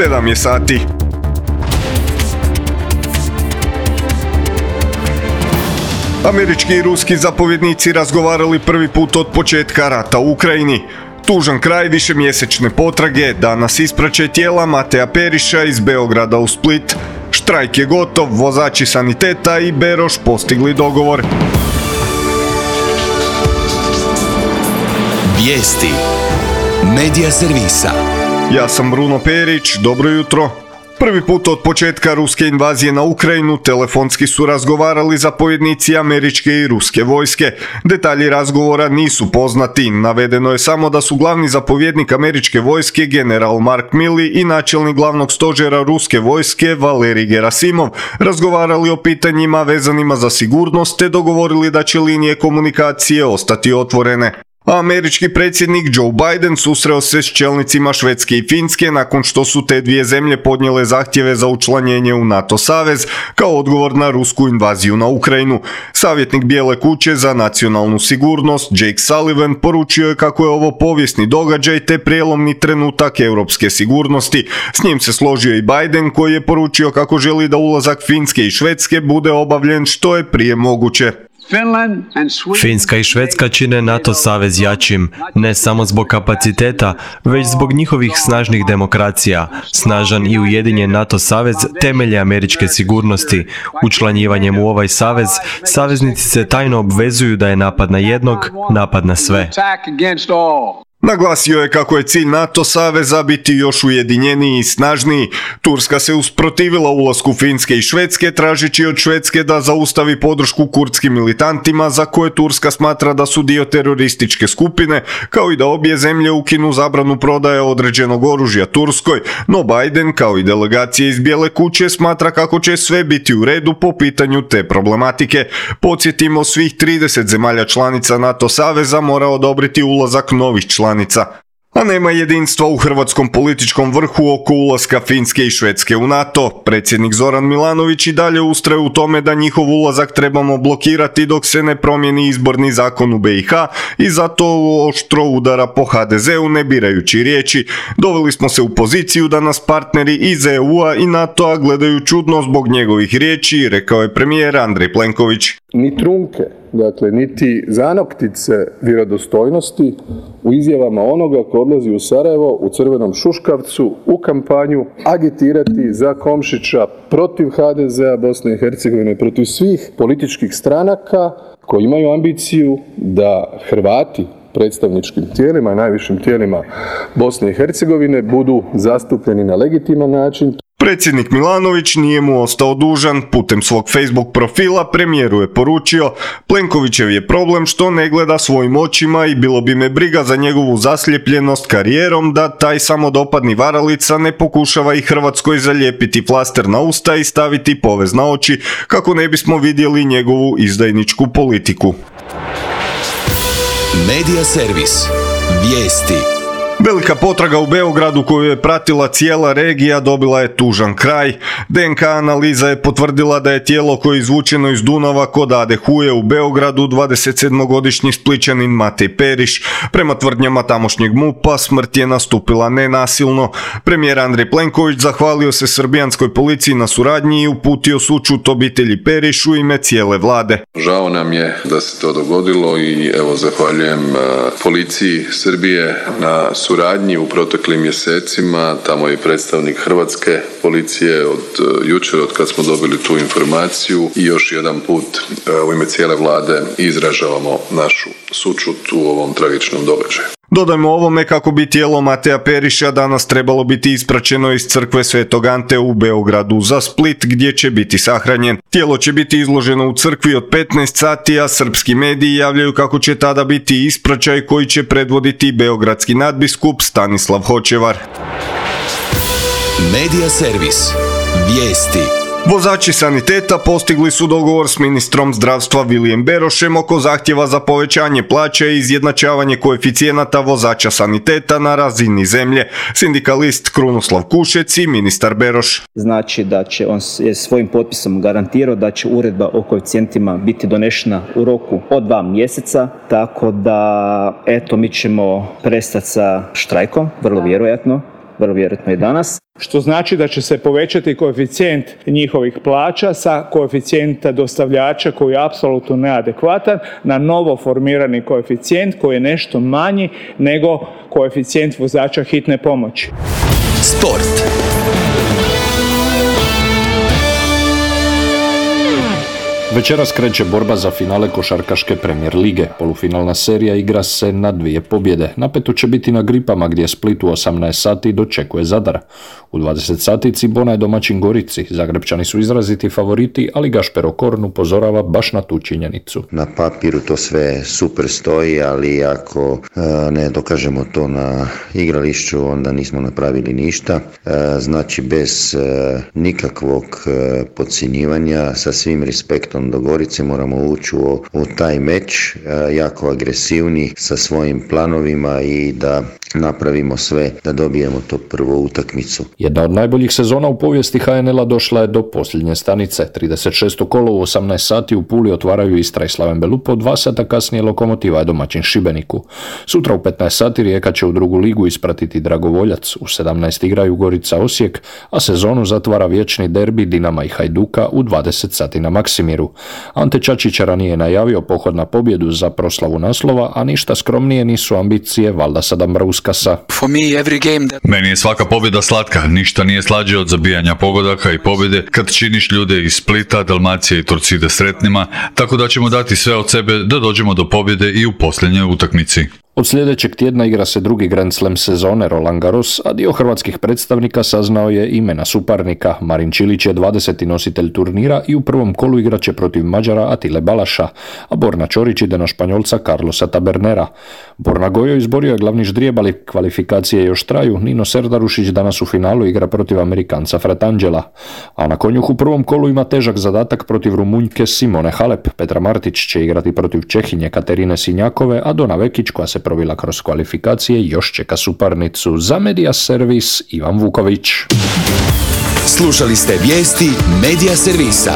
7 je sati. Američki i ruski zapovjednici razgovarali prvi put od početka rata u Ukrajini. Tužan kraj višemjesečne potrage, danas ispraćaj tijela Mateja Periša iz Beograda u Split. Štrajk je gotov, vozači saniteta i Beroš postigli dogovor. Vijesti Medija servisa. Ja sam Bruno Perić, dobro jutro. Prvi put od početka ruske invazije na Ukrajinu telefonski su razgovarali zapovjednici američke i ruske vojske. Detalji razgovora nisu poznati, navedeno je samo da su glavni zapovjednik američke vojske general Mark Milley i načelnik glavnog stožera ruske vojske Valerij Gerasimov razgovarali o pitanjima vezanima za sigurnost te dogovorili da će linije komunikacije ostati otvorene. A američki predsjednik Joe Biden susreo se s čelnicima Švedske i Finske nakon što su te dvije zemlje podnijele zahtjeve za učlanjenje u NATO savez kao odgovor na rusku invaziju na Ukrajinu. Savjetnik Bijele kuće za nacionalnu sigurnost Jake Sullivan poručio je kako je ovo povijesni događaj te prijelomni trenutak europske sigurnosti. S njim se složio i Biden koji je poručio kako želi da ulazak Finske i Švedske bude obavljen što je prije moguće. Finska i Švedska čine NATO savez jačim, ne samo zbog kapaciteta, već zbog njihovih snažnih demokracija. Snažan i ujedinjen NATO savez temelje američke sigurnosti. Učlanjivanjem u ovaj savez, saveznici se tajno obvezuju da je napad na jednog, napad na sve. Naglasio je kako je cilj NATO saveza biti još ujedinjeniji i snažniji. Turska se usprotivila ulasku Finske i Švedske tražeći od Švedske da zaustavi podršku kurdskim militantima za koje Turska smatra da su dio terorističke skupine, kao i da obje zemlje ukinu zabranu prodaje određenog oružja Turskoj, no Biden kao i delegacije iz Bijele kuće smatra kako će sve biti u redu po pitanju te problematike. Podsjetimo, svih 30 zemalja članica NATO saveza mora odobriti ulazak novih članica. A nema jedinstva u hrvatskom političkom vrhu oko ulaska Finske i Švedske u NATO. Predsjednik Zoran Milanović i dalje ustraje u tome da njihov ulazak trebamo blokirati dok se ne promijeni izborni zakon u BiH i zato oštro udara po HDZ-u ne birajući riječi. Doveli smo se u poziciju da nas partneri iz EU-a i NATO-a gledaju čudno zbog njegovih riječi, rekao je premijer Andrej Plenković. Ni trunke, dakle niti zanoktice vjerodostojnosti u izjavama onoga ko odlazi u Sarajevo u crvenom šuškavcu u kampanju agitirati za Komšića protiv HDZ-a Bosne i Hercegovine, protiv svih političkih stranaka koji imaju ambiciju da Hrvati predstavničkim tijelima i najvišim tijelima Bosne i Hercegovine budu zastupljeni na legitiman način. Predsjednik Milanović nije mu ostao dužan. Putem svog Facebook profila premijeru je poručio: Plenkovićev je problem što ne gleda svojim očima i bilo bi me briga za njegovu zasljepljenost karijerom da taj samodopadni varalica ne pokušava i Hrvatskoj zalijepiti flaster na usta i staviti povez na oči kako ne bismo vidjeli njegovu izdajničku politiku. Medija servis. Vijesti. Velika potraga u Beogradu koju je pratila cijela regija dobila je tužan kraj. DNK analiza je potvrdila da je tijelo koje je izvučeno iz Dunava kod Ade Huje u Beogradu 27-godišnji Splićanin Matej Periš. Prema tvrdnjama tamošnjeg MUP-a smrt je nastupila nenasilno. Premijer Andrej Plenković zahvalio se srbijanskoj policiji na suradnji i uputio sućut obitelji Periš u ime cijele vlade. Žao nam je da se to dogodilo i evo zahvaljujem policiji Srbije na suradnji u proteklim mjesecima. Tamo je predstavnik hrvatske policije od jučer, od kad smo dobili tu informaciju, i još jedan put u ime cijele vlade izražavamo našu sućut u ovom tragičnom događaju. Dodajmo ovome kako bi tijelo Mateja Periša danas trebalo biti ispraćeno iz crkve Svetog Ante u Beogradu za Split gdje će biti sahranjen. Tijelo će biti izloženo u crkvi od 15 sati, a srpski mediji javljaju kako će tada biti ispraćaj koji će predvoditi beogradski nadbiskup Stanislav Hočevar. Medija servis. Vijesti. Vozači saniteta postigli su dogovor s ministrom zdravstva Vilijem Berošem oko zahtjeva za povećanje plaća i izjednačavanje koeficijenata vozača saniteta na razini zemlje. Sindikalist Krunoslav Kušec i ministar Beroš. Znači da će on je svojim potpisom garantirao da će uredba o koeficijentima biti donešena u roku od 2 mjeseca, tako da mi ćemo prestati sa štrajkom, vrlo vjerojatno. vrlo vjerojatno i danas. Što znači da će se povećati koeficijent njihovih plaća sa koeficijenta dostavljača koji je apsolutno neadekvatan na novo formirani koeficijent koji je nešto manji nego koeficijent vozača hitne pomoći. Sport. Večeras kreće borba za finale košarkaške Premier lige. Polufinalna serija igra se na 2 pobjede. Napeto će biti na Gripama gdje Split u 18 sati dočekuje Zadar. U 20 sati Cibona je domaćin Gorici. Zagrebčani su izraziti favoriti, ali Gašper Okorn upozorava baš na tu činjenicu. Na papiru to sve super stoji, ali ako ne dokažemo to na igrališću, onda nismo napravili ništa. Znači bez nikakvog podcjenjivanja, sa svim respektom do Gorice moramo ući u taj meč jako agresivni sa svojim planovima i da napravimo sve da dobijemo to prvu utakmicu. Jedna od najboljih sezona u povijesti HNL-a došla je do posljednje stanice. 36. kolo u 18 sati u Puli otvaraju Istra i Slaven Belupo, 2 sata kasnije Lokomotiva je domaćin Šibeniku. Sutra u 15 sati Rijeka će u drugu ligu ispratiti Dragovoljac, u 17 igraju Gorica Osijek, a sezonu zatvara vječni derbi Dinama i Hajduka u 20 sati na Maksimiru. Ante Čačić ranije najavio pohod na pobjedu za proslavu naslova, a ništa skromnije nisu ambicije Valdasa Dambrauskasa. Meni je svaka pobjeda slatka, ništa nije slađe od zabijanja pogodaka i pobjede kad činiš ljude iz Splita, Dalmacije i Torcide sretnima, tako da ćemo dati sve od sebe da dođemo do pobjede i u posljednjoj utakmici. Od sljedećeg tjedna igra se drugi Grand Slam sezone Roland Garros, a dio hrvatskih predstavnika saznao je imena suparnika. Marin Čilić je 20. nositelj turnira i u prvom kolu igraće protiv Mađara Atile Balaša, a Borna Ćorić ide na Španjolca Carlosa Tabernera. Borna Gojo izborio je glavni ždrijeb, ali kvalifikacije još traju. Nino Serdarušić danas u finalu igra protiv Amerikanca Fratangela. A na konjuh u prvom kolu ima težak zadatak protiv Rumunjke Simone Halep. Petra Martić će igrati protiv Čehinje Katerine Sinjakove, a Dona Vekić, koja se provila kroz kvalifikacije, još čeka suparnicu. Za Media Servis Ivan Vuković. Slušali ste vijesti Media Servisa.